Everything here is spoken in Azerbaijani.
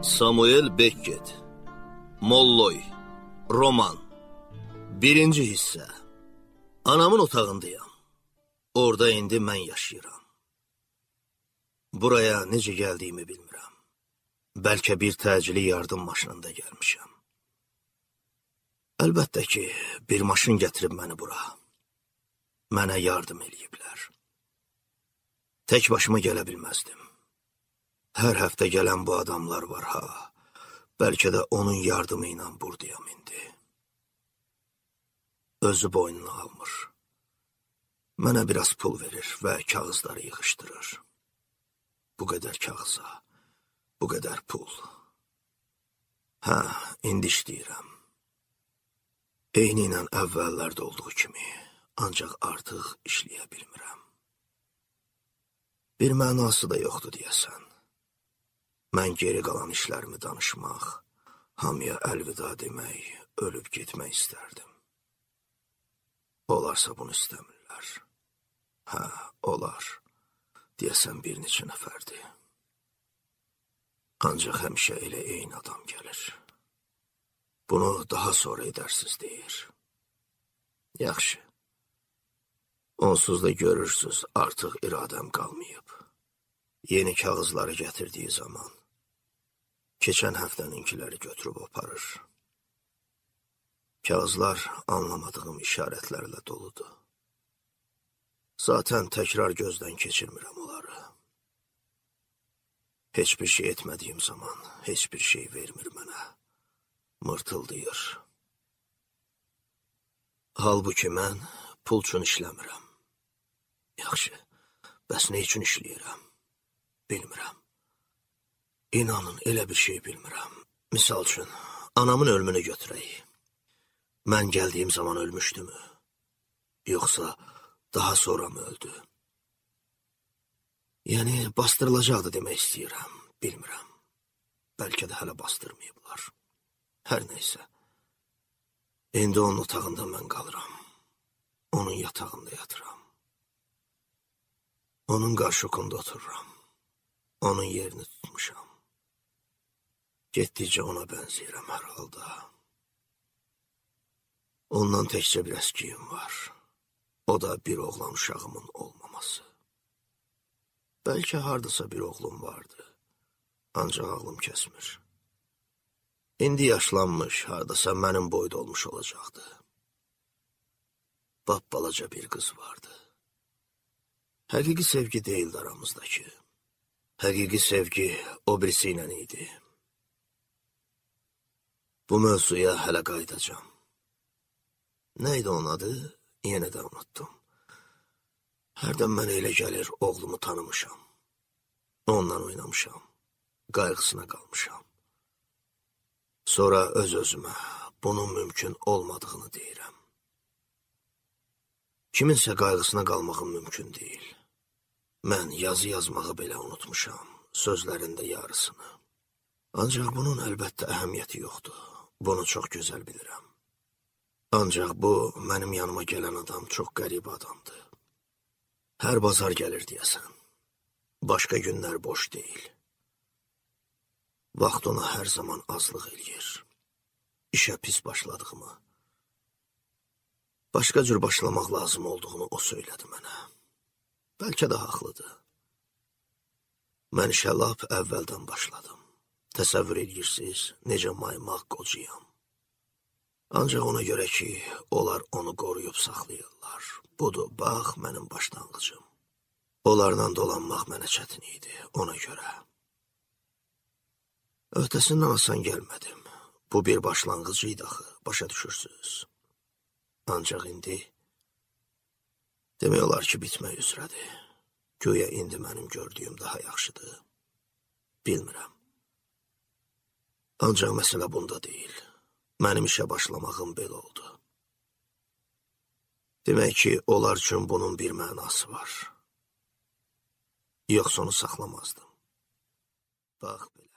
Samuel Beckett, Molloy, roman, 1-ci hissə. Anamın otağındayam. Orada indi mən yaşayıram. Buraya necə gəldiyimi bilmirəm. Bəlkə bir təcili yardım maşınında gəlmişəm. Əlbəttə ki, bir maşın gətirib məni bura. Mənə yardım eləyiblər. Tək başıma gələ bilməzdim. Hər həftə gələn bu adamlar var ha. Bəlkə də onun yardımı ilə buradayam indi. Özü boynunu almır. Mənə biraz pul verir və kağızları yığışdırır. Bu qədər kağıza, bu qədər pul. Hə, indi işləyirəm. Eyni ilə əvvəllərdə olduğu kimi, ancaq artıq işləyə bilmirəm. Bir mənası da yoxdur deyəsən. Mən geri qalan işlərimi danışmaq, hamıya əlvida demək, ölüb getmək istərdim. Olarsa bunu istəmirlər. Hə, olar. Deyəsən bir neçə nəfərdir. Ancaq həmişə elə eyni adam gəlir. Bunu daha sonra edərsiz deyir. Yaxşı. Onsuz da görürsüz, artıq iradəm qalmayıb. Yeni kağızları gətirdiyi zaman, keçən həftəninkiləri götürüb aparır. Kağızlar anlamadığım işarətlərlə doludur. Zaten təkrar gözdən keçirmirəm onları. Heç bir şey etmədiyim zaman, heç bir şey vermir mənə. Mırtıldayır. Halbuki mən pul üçün işləmirəm. Yaxşı, bəs nə üçün işləyirəm? Bilmirəm. İnanın, elə bir şey bilmirəm. Misal üçün, anamın ölümünü götürək. Mən gəldiyim zaman ölmüşdümü? Yoxsa daha sonra mı öldü? Yəni, bastırılacaqdı demək istəyirəm. Bilmirəm. Bəlkə də hələ bastırmayıblar. Hər neysə. İndi onun otağında mən qalıram. Onun yatağında yatıram. Onun qarşıqında otururam. Onun yerini tutmuşam. Getdikcə ona bənzəyirəm hər halda. Ondan təkcə bir əskiyim var. O da bir oğlan uşağımın olmaması. Bəlkə hardasa bir oğlum vardı. Ancaq ağlım kəsmir. İndi yaşlanmış, hardasa mənim boyda olmuş olacaqdı. Balaca bir qız vardı. Həqiqi sevgi deyildi aramızdakı. Həqiqi sevgi o birisi ilə idi. Bu mövzuya hələ qayıdacam. Nəydi onun adı? Yenə də unuttum. Hərdən mənə elə gəlir, oğlumu tanımışam. Onunla oynamışam. Qayğısına qalmışam. Sonra öz-özümə bunun mümkün olmadığını deyirəm. Kiminsə qayğısına qalmağım mümkün deyil. Mən yazı yazmağı belə unutmuşam, sözlərində yarısını. Ancaq bunun əlbəttə əhəmiyyəti yoxdur. Bunu çox gözəl bilirəm. Ancaq bu, mənim yanıma gələn adam çox qəribə adamdır. Hər bazar gəlir deyəsən. Başqa günlər boş deyil. Vaxt ona hər zaman azlıq eləyir. İşə pis başladığımı, başqa cür başlamaq lazım olduğunu o söylədi mənə. Bəlkə də haqlıdır. Mən işə lap əvvəldən başladım. Təsəvvür edirsiniz, necə maymaq qocuyam. Ancaq ona görə ki, onlar onu qoruyub saxlayırlar. Budur, bax, mənim başlanğıcım. Onlarla dolanmaq mənə çətin idi, ona görə. Öhdəsindən asan gəlmədim. Bu bir başlanğıc idi axı, başa düşürsünüz. Ancaq indi demək olar ki, bitmək üzrədir. Güya indi mənim gördüyüm daha yaxşıdır. Bilmirəm. Ancaq məsələ bunda deyil. Mənim işə başlamağım belə oldu. Demək ki, onlar üçün bunun bir mənası var. Yoxsa onu saxlamazdım. Bax belə.